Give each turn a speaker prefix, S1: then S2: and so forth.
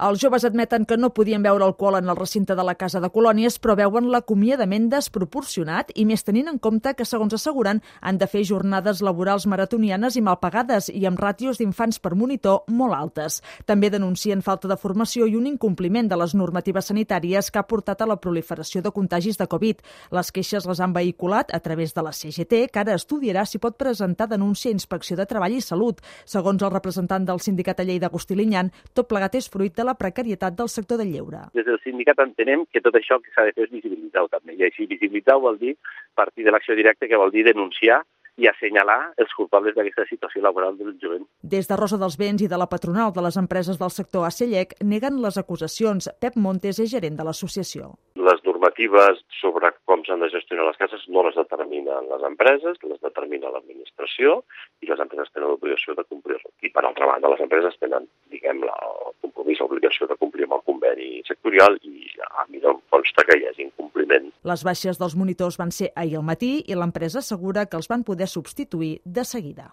S1: Els joves admeten que no podien beure alcohol en el recinte de la Casa de Colònies, però veuen l'acomiadament desproporcionat i més tenint en compte que, segons asseguren, han de fer jornades laborals maratonianes i mal pagades i amb ràtios d'infants per monitor molt altes. També denuncien falta de formació i un incompliment de les normatives sanitàries que ha portat a la proliferació de contagis de Covid. Les queixes les han vehiculat a través de la CGT, que ara estudiarà si pot presentar denúncia a Inspecció de Treball i Salut. Segons el representant del sindicat a Lleida, Agustí Liñán, tot plegat és fruit de la precarietat del sector del lleure.
S2: Des del sindicat entenem que tot això que s'ha de fer és visibilitzar-ho també. I així visibilitzar-ho vol dir partir de l'acció directa, que vol dir denunciar i assenyalar els culpables d'aquesta situació laboral del jovent.
S1: Des de Rosa dels Vents i de la patronal de les empreses del sector ACELLEC neguen les acusacions. Pep Montes és gerent de l'associació.
S3: Les normatives sobre com s'han de gestionar les cases no les determinen les empreses, les determina l'administració i les empreses tenen l'obligació de complir-ho. I per altra banda, les empreses tenen, diguem, el compromís, l'obligació de complir amb el conveni sectorial i a mi no em consta que hi hagi incompliment.
S1: Les baixes dels monitors van ser ahir al matí i l'empresa assegura que els van poder substituir de seguida.